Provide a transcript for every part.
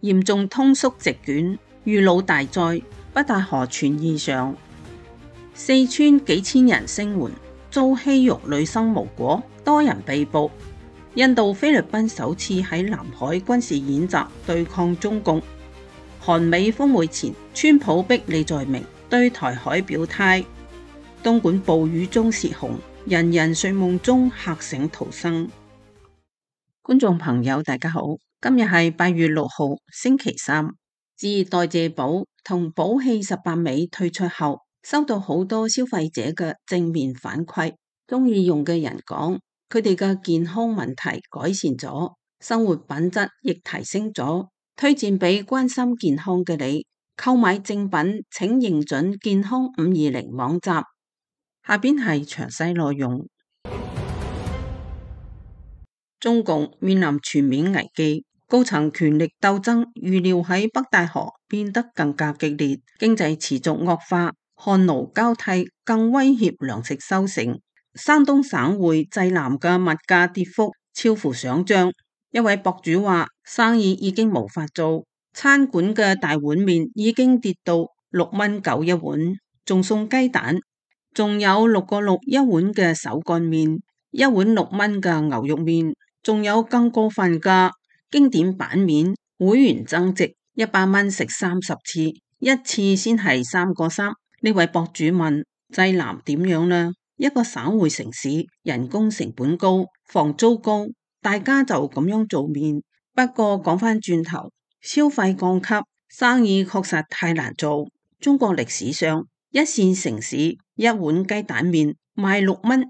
嚴重通縮席捲，遇滷大災，北戴河傳異常。四川幾千人聲援，遭欺辱女生無果，多人被捕。印度、菲律賓首次喺南海軍事演習對抗中共。韓美峰會前，川普逼李在明對台海表態。東莞暴雨中泄洪，人人睡夢中嚇醒逃生。觀眾朋友大家好，今日係8月6號星期三。自代謝寶同寶氣18美推出後，收到好多消費者嘅正面反饋，中意用嘅人講佢哋嘅健康問題改善咗，生活品質亦提升咗，推薦俾關心健康嘅你。購買正品請認準健康520網站。下邊係詳細內容。中共面臨全面危機，高層權力鬥爭預料喺北戴河變得更加激烈，經濟持續惡化，漢奴交替更威脅糧食收成。山東省會濟南嘅物價跌幅超乎想象，一位博主話生意已經無法做，餐館嘅大碗麵已經跌到6.9蚊一碗，仲送雞蛋，仲有6.6一碗嘅手乾麵，一碗6蚊嘅牛肉麵，仲有更過分嘅經典版面，會員增值100蚊食30次，一次先係3.3。呢位博主問濟南點樣呢？一個省會城市，人工成本高，房租高，大家就咁樣做麵。不過講返轉頭，消費降級，生意確實太難做。中國歷史上，一線城市一碗雞蛋麵賣6蚊，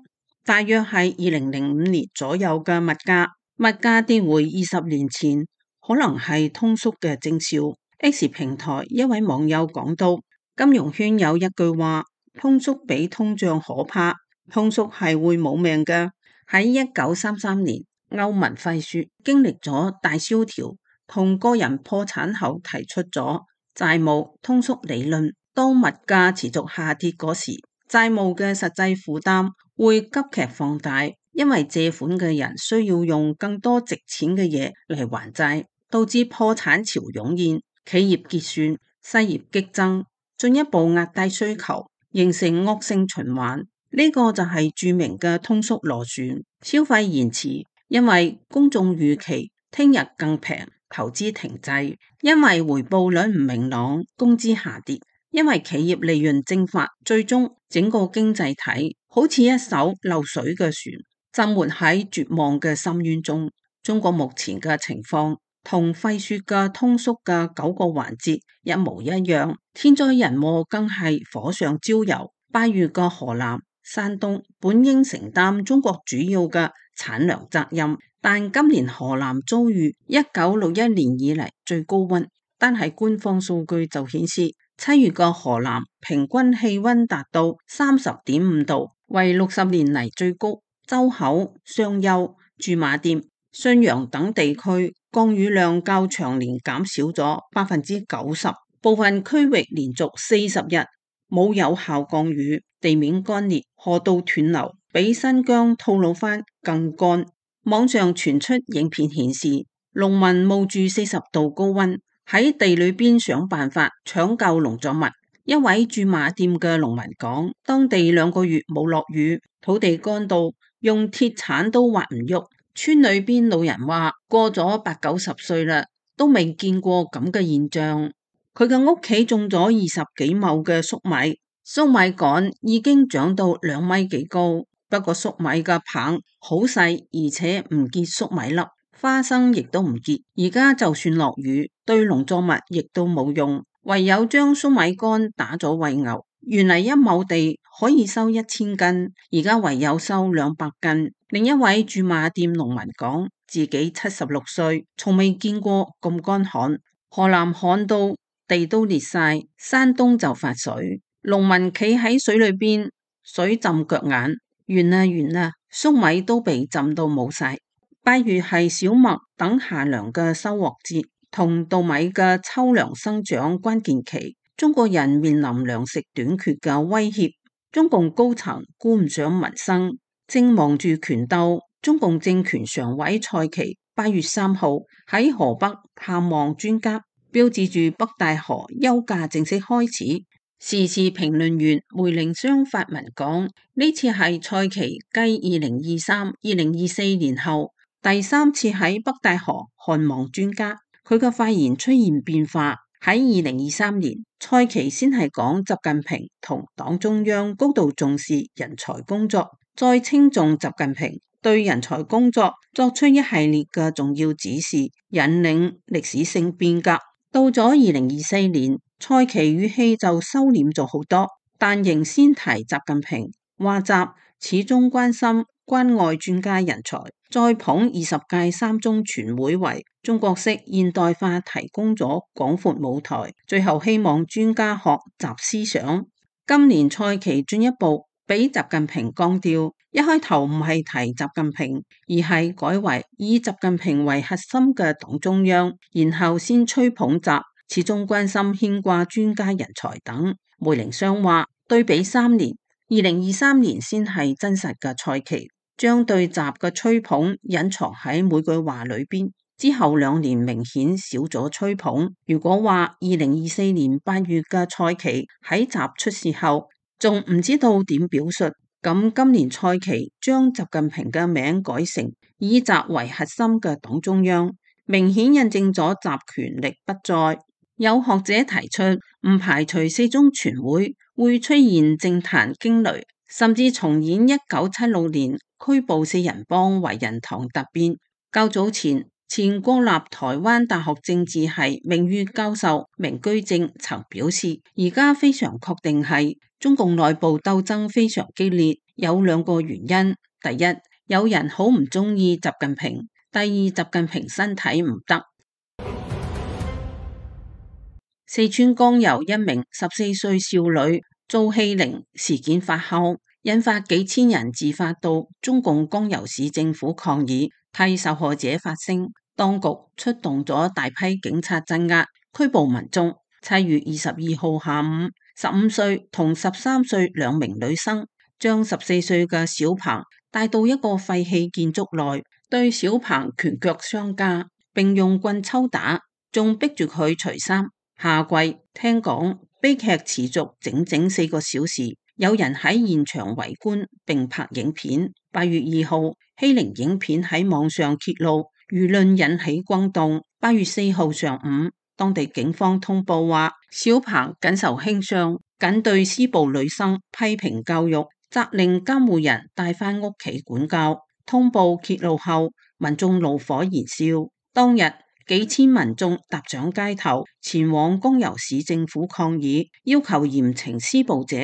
大約係2005年左右嘅物價。物價跌回20年前，可能係通縮嘅徵兆。X 平台一位網友講到，金融圈有一句話，通縮比通脹可怕，通縮係會冇命嘅。喺1933年，歐文費雪經歷咗大蕭條同個人破產後，提出咗債務通縮理論。當物價持續下跌嗰時，債務嘅實際負擔會急劇放大，因為借款嘅人需要用更多值錢嘅嘢嚟還債，導致破產潮湧現，企業結算，失業激增，進一步壓低需求，形成惡性循環。呢個就係著名嘅通縮螺旋。消費延遲，因為公眾預期聽日更平，投資停滯，因為回報率唔明朗，工資下跌，因為企業利潤蒸發，最終整個經濟體好似一艘漏水嘅船，浸沒喺絕望嘅深淵中。中國目前嘅情況同費雪嘅通縮嘅9個環節一模一樣，天災人禍更係火上澆油。8月嘅河南、山東本應承擔中國主要嘅產糧責任，但今年河南遭遇1961年以嚟最高溫，單係官方數據就顯示7月嘅河南平均氣溫達到30.5度，為60年嚟最高。周口、商丘、駐馬店、信陽等地區降雨量較長年減少咗90%，部分區域連續40日冇有效降雨，地面乾裂，河道斷流，比新疆吐魯番更乾。網上傳出影片顯示，農民冒住40度高溫喺地裏邊想辦法搶救農作物。一位駐馬店嘅農民講，當地2個月冇落雨，土地乾到用鐵鏟都挖唔喐。村裏邊老人話，過咗80-90歲啦，都未見過咁嘅現象。佢嘅屋企種咗20幾畝嘅粟米，粟米杆已經長到2米幾高，不過粟米嘅棒好細，而且唔結粟米粒，花生亦都唔結。而家就算落雨，對農作物亦都冇用，唯有將粟米乾打咗餵牛。原嚟1畝地可以收1000斤，而家唯有收200斤。另一位駐馬店農民講，自己76歲，從未見過咁乾旱。河南旱到地都裂晒，山東就發水，農民企喺水裏邊，水浸腳眼，完啦，粟米都被浸到冇晒。8月係小麥等夏糧嘅收穫節，同稻米嘅秋糧生長關鍵期，中國人面臨糧食短缺嘅威脅。中共高層顧唔上民生，正忙住權鬥。中共政權常委蔡奇8月3號喺河北探望專家，標誌住北戴河休假正式開始。時事評論員梅玲湘發文講，呢次係蔡奇繼2023、2024年後第3次喺北戴河看望專家，佢嘅發言出現變化。喺2023年，蔡奇先係講習近平同黨中央高度重視人才工作，再稱頌習近平對人才工作作出一系列嘅重要指示，引領歷史性變革。到咗2024年，蔡奇語氣就收斂咗好多，但仍先提習近平，話習始終關心關愛專家人才，再捧20屆三中全會為中國式現代化提供咗廣闊舞台，最後希望專家學習思想。今年蔡奇進一步俾習近平降調，一開頭唔係提習近平，而係改為以習近平為核心嘅黨中央，然後先吹捧習始終關心牽掛專家人才等。梅玲湘話，對比3年，2023年先係真實嘅蔡奇，將對習嘅吹捧隱藏喺每句話裏邊。之後2年明顯少咗吹捧。如果話2024年8月嘅蔡奇喺習出事後仲唔知道點表述，咁今年蔡奇將習近平嘅名改成以習為核心嘅黨中央，明顯印證咗習權力不再。有學者提出，唔排除4中全會會出現政壇驚雷，甚至重演1976年拘捕4人幫懷仁堂突變。較早前，前國立台灣大學政治系名譽教授明居正曾表示，而家非常確定係中共內部鬥爭非常激烈，有2個原因：第一，有人好唔中意習近平；第二，習近平身體唔得。四川江油一名14歲少女遭欺凌事件發酵，引發幾千人自發到中共江油市政府抗議，替受害者發聲。當局出動咗大批警察鎮壓，拘捕民眾。7月22號下午，15歲同13歲2名女生將14歲嘅小鵬帶到一個廢棄建築內，對小鵬拳腳相加，並用棍抽打，仲逼住佢除衫下跪。聽講悲劇持續整整4個小時，有人喺現場圍觀並拍影片。8月2號，欺凌影片喺網上揭露，輿論引起轟動。8月4號上午，當地警方通報話，小鵬僅受輕傷，僅對施暴女生批評教育，責令監護人帶返屋企管教。通報揭露後，民眾怒火燃燒。當日幾千民眾踏上街頭，前往江油市政府抗議，要求嚴懲施暴者。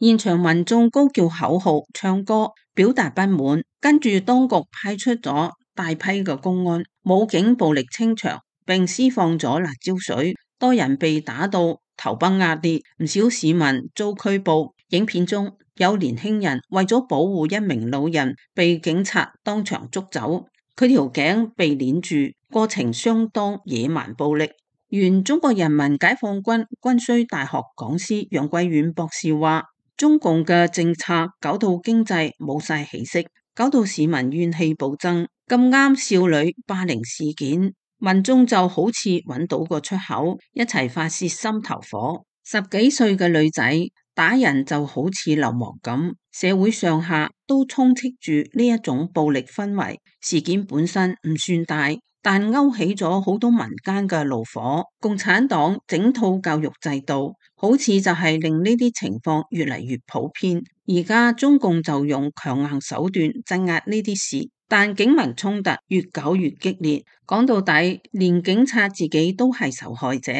現場民眾高叫口號、唱歌，表達不滿。跟住當局派出咗大批嘅公安、武警暴力清場，並施放咗辣椒水，多人被打到頭崩額裂，唔少市民遭拘捕。影片中有年輕人為咗保護一名老人，被警察當場捉走，佢條頸被鏈住，過程相當野蠻暴力。原中國人民解放軍軍需大學講師楊貴遠博士話，中共嘅政策搞到經濟冇晒起色，搞到市民怨氣暴增。咁啱少女霸凌事件，民眾就好似揾到個出口，一齊發洩心頭火。10幾歲嘅女仔打人就好似流氓咁，社會上下都充斥住呢一種暴力氛圍。事件本身唔算大，但勾起咗好多民間嘅怒火。共產黨整套教育制度，好似就係令呢啲情況越嚟越普遍。而家中共就用強硬手段鎮壓呢啲事，但警民衝突越搞越激烈，講到底，連警察自己都係受害者，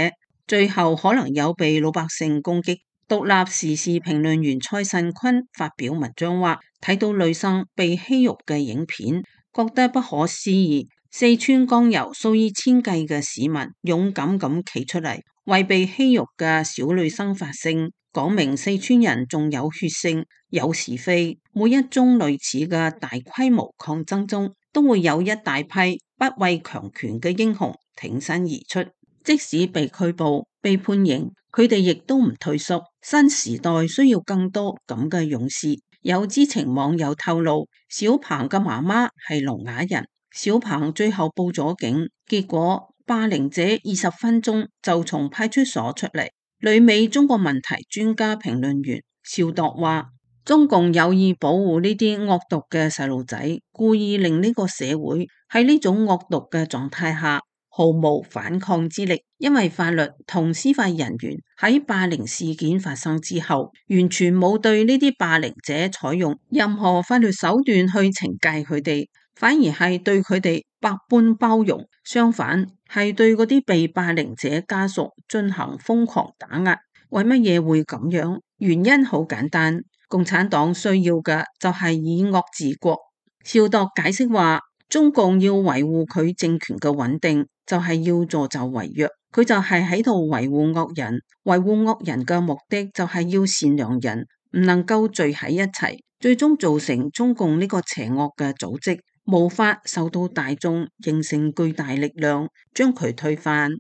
最後可能有被老百姓攻擊。獨立時事評論員蔡慎坤發表文章話，睇到女生被欺辱嘅影片，覺得不可思議。四川江油數以千計嘅市民勇敢咁企出嚟，為被欺辱嘅小女生發聲，講明四川人仲有血性、有是非。每一宗類似嘅大規模抗爭中，都會有一大批不畏強權嘅英雄挺身而出，即使被拘捕、被判刑，佢哋亦都唔退縮。新時代需要更多咁嘅勇士。有知情網友透露，小鵬嘅媽媽係聾啞人。小鵬最後報咗警，結果霸凌者20分鐘就從派出所出嚟。旅美中國問題專家評論員邵度話，中共有意保護呢啲惡毒嘅細路仔，故意令呢個社會喺呢種惡毒嘅狀態下毫無反抗之力，因為法律同司法人員喺霸凌事件發生之後，完全冇對呢啲霸凌者採用任何法律手段去懲戒佢哋，反而係對佢哋百般包容，相反係對嗰啲被霸凌者家屬進行瘋狂打壓。為乜嘢會咁樣？原因好簡單，共產黨需要嘅就係以惡治國。邵度解釋話，中共要維護佢政權嘅穩定，就係要助紂為虐，佢就係喺度維護惡人，維護惡人嘅目的就係要善良人唔能夠聚喺一齊，最終造成中共呢個邪惡嘅組織無法受到大眾形成巨大力量，將佢推翻。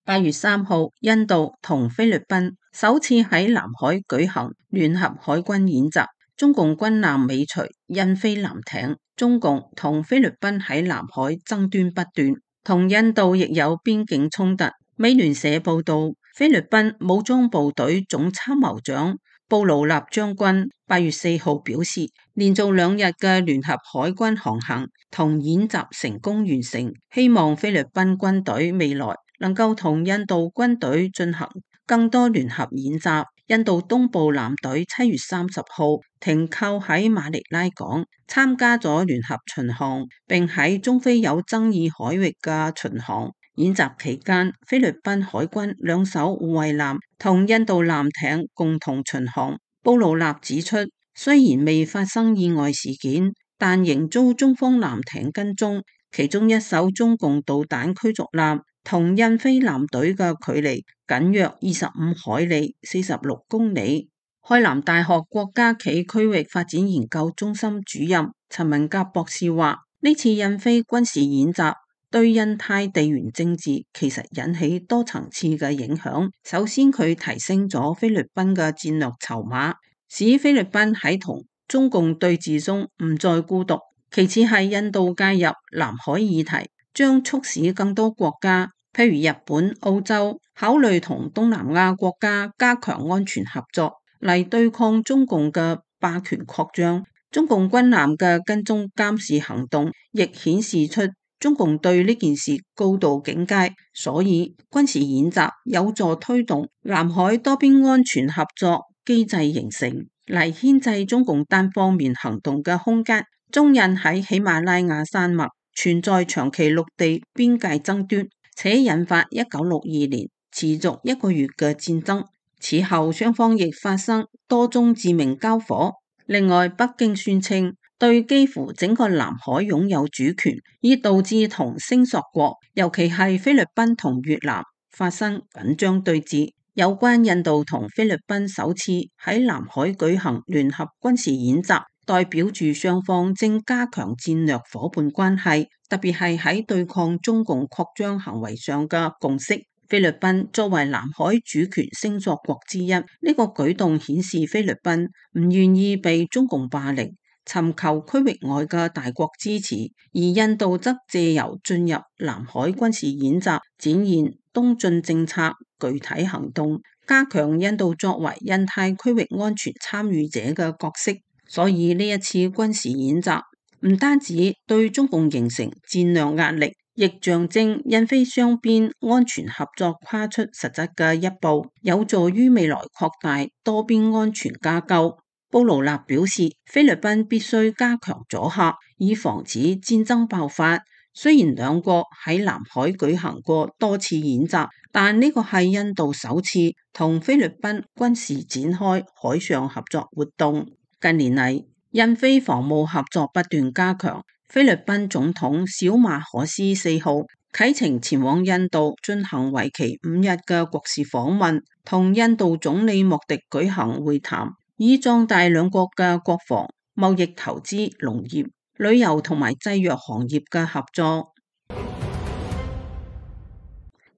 8月3號，印度同菲律賓首次喺南海舉行聯合海軍演習，中共軍艦尾隨，印菲艦艇。中共同菲律賓喺南海爭端不斷，同印度亦有邊境衝突。美聯社報道，菲律賓武裝部隊總參謀長布勞納將軍8月4號表示，連續2日嘅聯合海軍航行同演習成功完成，希望菲律賓軍隊未來能夠同印度軍隊進行更多聯合演習。印度東部艦隊7月30號停靠喺馬尼拉港，參加咗聯合巡航，並喺中非有爭議海域嘅巡航。演習期間，菲律賓海軍2艘護衛艦同印度艦艇共同巡航。布勞納指出，雖然未發生意外事件，但仍遭中方艦艇跟蹤，其中1艘中共導彈驅逐艦同印菲艦隊嘅距離僅約25海里（46公里）。海南大學國家暨區域發展研究中心主任陳文甲博士話，呢次印菲軍事演習對印太地緣政治其實引起多層次嘅影響。首先，佢提升咗菲律賓嘅戰略籌碼，使菲律賓喺同中共對峙中唔再孤獨。其次係印度介入南海議題，將促使更多國家，譬如日本、澳洲，考慮同東南亞國家加強安全合作，嚟對抗中共嘅霸權擴張。中共軍艦嘅跟蹤監視行動亦顯示出中共對呢件事高度警戒，所以軍事演習有助推動南海多邊安全合作機制形成，嚟牽制中共單方面行動嘅空間。中印喺喜馬拉雅山脈存在長期陸地邊界爭端，且引發1962年持續1個月嘅戰爭。此後雙方亦發生多宗致命交火。另外，北京宣稱對幾乎整個南海擁有主權，以導致同聲索國，尤其係菲律賓同越南發生緊張對峙。有關印度同菲律賓首次喺南海舉行聯合軍事演習，代表住雙方正加強戰略夥伴關係，特別係喺對抗中共擴張行為上嘅共識。菲律賓作為南海主權聲索國之一，呢個舉動顯示菲律賓唔願意被中共霸凌，尋求區域外嘅大國支持，而印度則借由進入南海軍事演習，展現東進政策具體行動，加強印度作為印太區域安全參與者嘅角色。所以呢一次軍事演習唔單止對中共形成戰略壓力，亦象徵印菲雙邊安全合作跨出實質嘅一步，有助於未來擴大多邊安全架構。布勞納表示，菲律賓必須加強阻嚇，以防止戰爭爆發。雖然兩國喺南海舉行過多次演習，但呢個係印度首次同菲律賓軍事展開海上合作活動。近年嚟，印菲防務合作不斷加強。菲律賓總統小馬可斯4號啟程前往印度進行為期5日嘅國事訪問，同印度總理莫迪舉行會談，以壯大兩國嘅國防、貿易、投資、農業、旅遊同埋製藥行業嘅合作。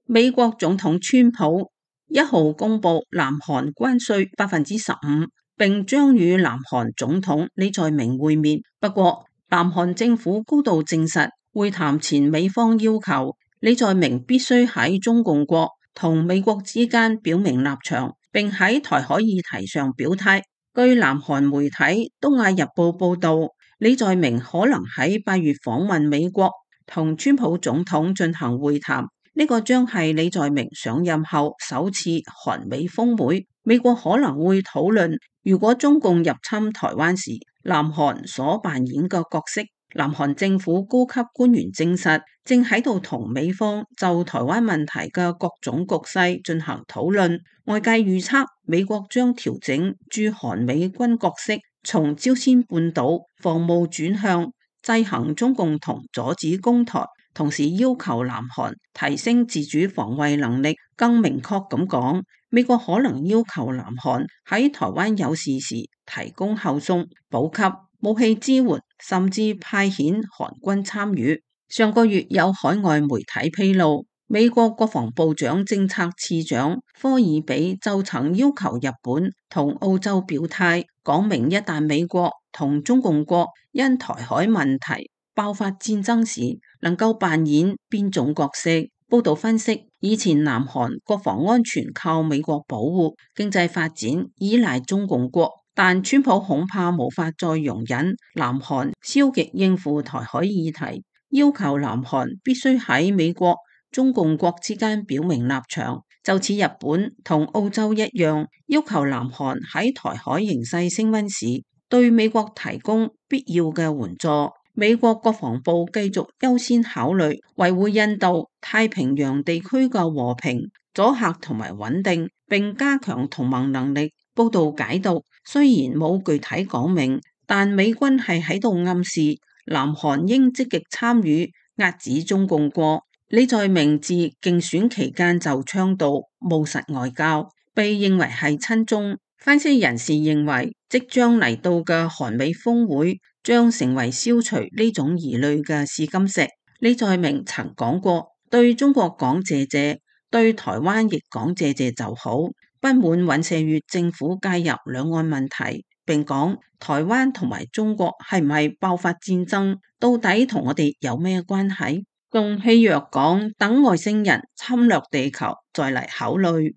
美國總統川普1號公布南韓關稅15%，並將與南韓總統李在明會面。不過，南韓政府高度證實，會談前美方要求李在明必須喺中共國同美國之間表明立場，並喺台海議題上表態。據南韓媒體《東亞日報》報道，李在明可能喺8月訪問美國，同川普總統進行會談。呢個將係李在明上任後首次韓美峰會。美國可能會討論，如果中共入侵台灣時，南韓所扮演嘅角色。南韓政府高級官員證實，正喺度同美方就台灣問題嘅各種局勢進行討論。外界預測，美國將調整駐韓美軍角色，從朝鮮半島防務轉向制衡中共同阻止攻台，同時要求南韓提升自主防衛能力。更明確咁講，美國可能要求南韓喺台灣有事時提供後送、補給、武器支援，甚至派遣韓軍參與。上個月有海外媒體披露，美國國防部長政策次長科爾比就曾要求日本同澳洲表態，講明一旦美國同中共國因台海問題爆發戰爭時，能夠扮演邊種角色。報道分析，以前南韓國防安全靠美國保護，經濟發展依賴中共國，但川普恐怕無法再容忍南韓消極應付台海議題，要求南韓必須喺美國、中共國之間表明立場，就似日本同澳洲一樣，要求南韓喺台海形勢升溫時，對美國提供必要嘅援助。美國國防部繼續優先考慮維護印度太平洋地區嘅和平、阻嚇同埋穩定，並加強同盟能力。報道解讀，雖然冇具體講明，但美軍係喺度暗示南韓應積極參與遏止中共國。李在明自競選期間就倡導務實外交，被認為係親中。分析人士認為，即將嚟到嘅韓美峰會將成為消除呢種疑慮嘅試金石。李在明曾講過，對中國講謝謝，對台灣亦講謝謝就好。不滿尹錫悅政府介入兩岸問題，並講台灣同埋中國係唔係爆發戰爭，到底同我哋有咩關係？仲戲謔講等外星人侵略地球再嚟考慮。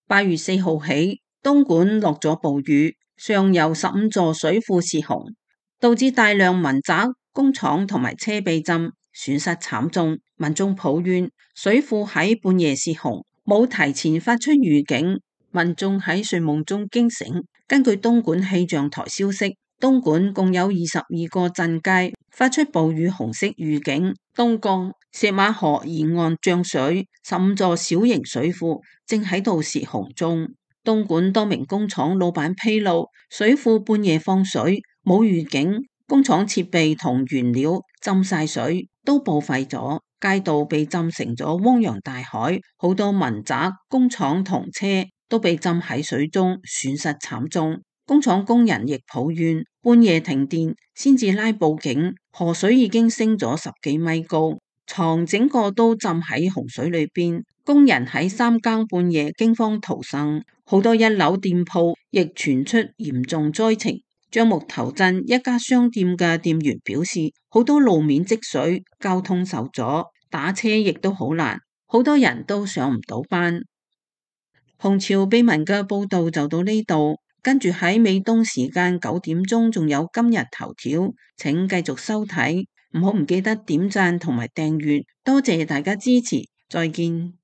8月4號起，東莞落咗暴雨，上游15座水庫洩洪，導致大量民宅、工廠同埋車被浸，損失慘重。民眾抱怨水庫喺半夜洩洪，冇提前發出預警，民眾喺睡夢中驚醒。根據東莞氣象台消息，東莞共有22個鎮街發出暴雨紅色預警。東江、石馬河沿岸漲水，15座小型水庫正喺度洩洪中。東莞多名工廠老闆披露，水庫半夜放水，冇預警，工廠設備同原料浸晒水，都報廢咗，街道被浸成咗汪洋大海，好多民宅、工廠同車都被浸喺水中，損失慘重。工廠工人亦抱怨半夜停電，先至拉報警，河水已經升咗10幾米高，床整個都浸喺洪水裏邊。工人喺3更半夜驚慌逃生，好多一樓店鋪亦傳出嚴重災情。樟木頭鎮一家商店嘅店員表示，好多路面積水，交通受阻，打車亦都好難，好多人都上唔到班。紅潮秘聞嘅報道就到呢度。跟住喺美東時間9點鐘，仲有今日頭條，請繼續收睇，唔記得點讚同埋訂閱，多謝大家支持，再見。